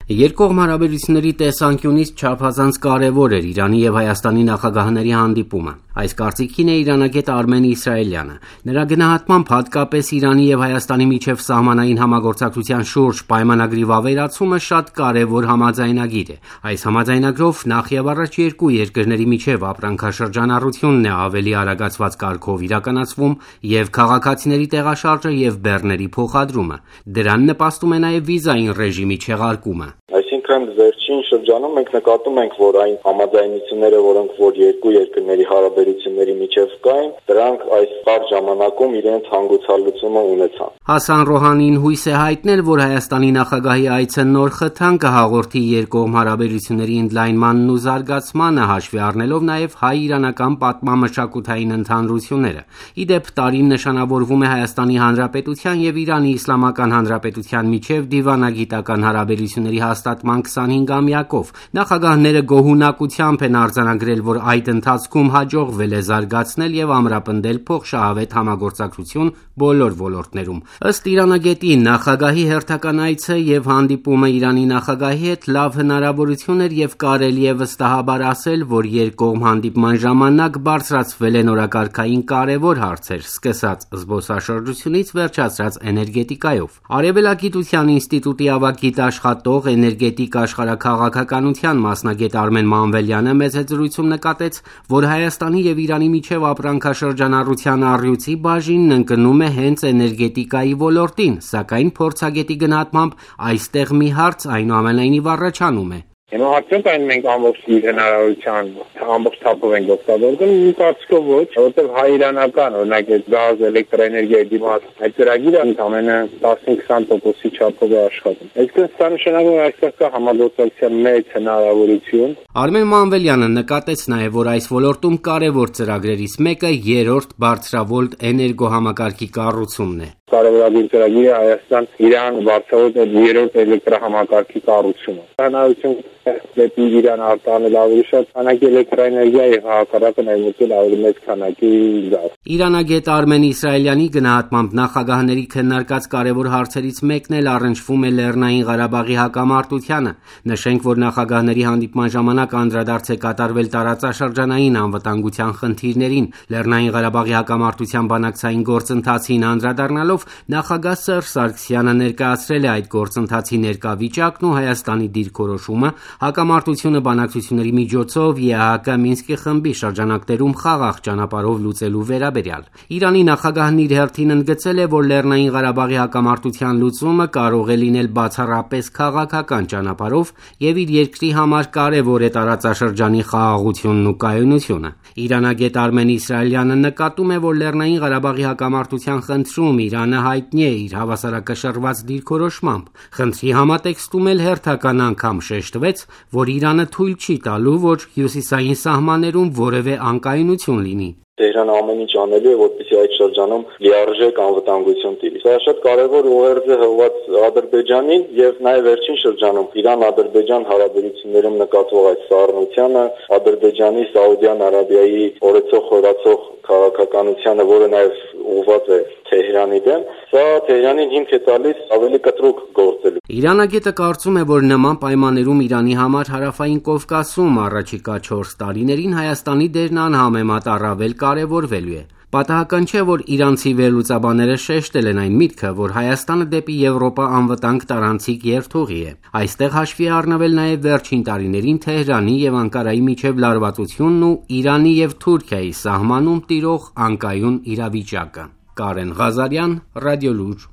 Երկկողմ հարաբերությունների տեսանկյունից չափազանց կարևոր էր Իրանի և Հայաստանի նախագահների հանդիպումը։ Այս կարծիքին է իրանագետ Արմեն Իսրայելյանը։ Նրա գնահատմամբ հատկապես Իրանի և Հայաստանի միջև սահմանային համագործակցության շուրջ պայմանագրի վավերացումը շատ կարևոր համաձայնագիր է։ Այս համաձայնագրով նախևառաջ երկու երկրների միջև ապրանքաշրջանառությունն է ավելի արագացված կարգով իրականացվում և քաղաքացիների տեղաշարժը և բեռների փոխադրումը։ Դրան նպաստում է նաև վիզային ռեժիմի չեղարկումը։ Այսինքն վերջին շրջանում մենք նկատում ենք, որ այն համաձայնությունները, որոնք որ երկու երկրների հարաբերությունների միջև կային, դրանք այս կարճ ժամանակում իրենց հանգուցալուծումը ունեցան։ Հասան Ռոհանին հույս է հայտնել, որ Հայաստանի նախագահի այցը նոր խթան կհաղորդի երկկողմ հարաբերությունների ընդլայնմանն ու զարգացմանը, հաշվի առնելով նաև հայ-իրանական պատմամշակութային ընդհանրությունները։ Ի դեպ, տարին նշանավորվում է Հայաստանի Հանրապետության և Իրանի Իսլամական Հանրապետության միջև դիվանագիտական հարաբերությունների հաստատման 25-ամյակով։ Նախագահները գոհունակությամբ են արձանագրել, որ այդ ընթացքում հաջողվել է զարգացնել և ամրապնդել փոխշահավետ համագործակցություն բոլոր ոլորտներում։ Ըստ իրանագետի, նախագահի հերթական այցը և հանդիպումը Իրանի նախագահի հետ լավ հնարավորություն էր և կարելի է վստահաբար ասել, որ երկկողմ հանդիպման ժամանակ բարձրացվել են օրակարգային կարևոր հարցեր, սկսած զբոսաշրջությունից վերջացրած էներգետիկայով։ Արևելագիտության ինստիտուտի ավագ գիտաշխատող, էներգետիկ աշխարհաքաղաքականության մասնագետ Արմեն Մանվելյանը մեծ հետզրույցում նկատեց, որ Հայաստանի և Իրանի միջև ապրանքաշրջանառության առյուծի բաժինն ընկնում է հենց էներգետիկայի ոլորտին, սակայն փորձագետի գնահատմամբ այստեղ մի հարց այնուամենայնիվ առաջանում է։ Հիմա արդյոք այն մենք ամբողջ հնարավորության ամբողջ թափով ենք օգտագործում, իմ կարծիքով ոչ, որովհետև հայ-իրանական, օրինակ այդ գազ, էլեկտրաէներգիայի դիմաց այդ ծրագիրը ընդամենը 15-20%-ի չափով է աշխատում։ Այսինքն սա նշանակում է այստեղ կա համագործակցության մեծ հնարավորություն։ Արմեն Մանվելյանը նկատեց նաև, որ այս ոլորտում կարևոր ծրագրերից մեկը երրորդ բարձրավոլտ էներգոհամակարգի կառուցումն է։ Կարևորագույն ծրագիրը Հայաստան-Իրան բարձրավոլտ երրորդ էլեկտրահամակարգի կառուցումը։ Հնարավորություն դեպի Իրան արտահանել ավելի շատ քանակի էլեկտրաէներգիա եւ հակառակը ներմուծել ավելի մեծ քանակի գազ։ Իրանագետ Արմեն Իսրայելյանի գնահատմամբ նախագահների քննարկած կարևոր հարցերից մեկն էլ առնչվում է Լեռնային Ղարաբաղի հակամարտությանը։ Նշենք, որ նախագահների հանդիպման ժամանակ անդրադարձ է կատարվել տարածաշրջանային անվտանգության խնդիրներին։ Լեռնային Ղարաբաղի հակամարտության բանակցային գործընթացին անդրադառնալով նախագահ Սերժ Սարգսյանը ներկայացրել է այդ գործընթացի ներկա վիճակն ու Հայաստանի դիրքորոշումը հակամարտությունը բանակցությունների միջոցով ԵԱՀԿ Մինսկի խմբի շրջանակներում խաղաղ ճանապարհով լուծելու վերաբերյալ։ Իրանի նախագահն իր հերթին ընդգծել է, որ Լեռնային Ղարաբաղի հակամարտության լուծումը կարող է լինել բացառապես քաղաքական ճանապարհով և իր երկրի համար կարևոր է տարածաշրջանի խաղաղությունն ու կայունությունը։ Իրանագետ Արմեն Իսրայելյանը նկատում է, որ Լեռնային Ղարաբաղի հակամարտության խնդրում Իրանը հայտնի է իր հավասարակշռված դիրքորոշմամբ։ Խնդրի համատեքստում էլ հերթական անգամ շեշտվեց, որ Իրանը թույլ չի տալու, որ հյուսիսային սահմաններում որևէ անկայունություն լինի։ Տեհրանը ամեն ինչ անելու է, որպեսզի այդ շրջանում լիարժեք անվտանգություն տիրի։ Սա շատ կարևոր ուղերձ է հղված Ադրբեջանին եւ նաեւ վերջին շրջանում Իրան-Ադրբեջան հարաբերություններում նկատվող այս սառնությունը, Ադրբեջանի, Սաուդյան Արաբիայի օրեցող խորացող քաղաքականությանը, որը նաեւ ուղղված է Թեհրանի դեմ, սա Թեհրանին հիմք է տալիս ավելի կտրուկ գործելու։ Իրանագետը կարծում է, որ նման պայմաններում Իրանի համար Հարավային Կովկասում առաջիկա 4 տարիներին Հայաստանի դերն անհամեմատ առավել կարևորվելու է։ Պատահական չէ, որ իրանցի վերլուծաբանները շեշտել են այն միտքը, որ Հայաստանը դեպի Եվրոպա անվտանգ տարանցիկ երթուղի է։ Այստեղ հաշվի է առնվել նաև վերջին տարիներին Թեհրանի և Անկարայի միջև լարվածությունն ու Իրանի և Թուրքիայի սահմանում տիրող անկայուն իրավիճակը։ Կարեն Ղազարյան, Ռադիոլուր։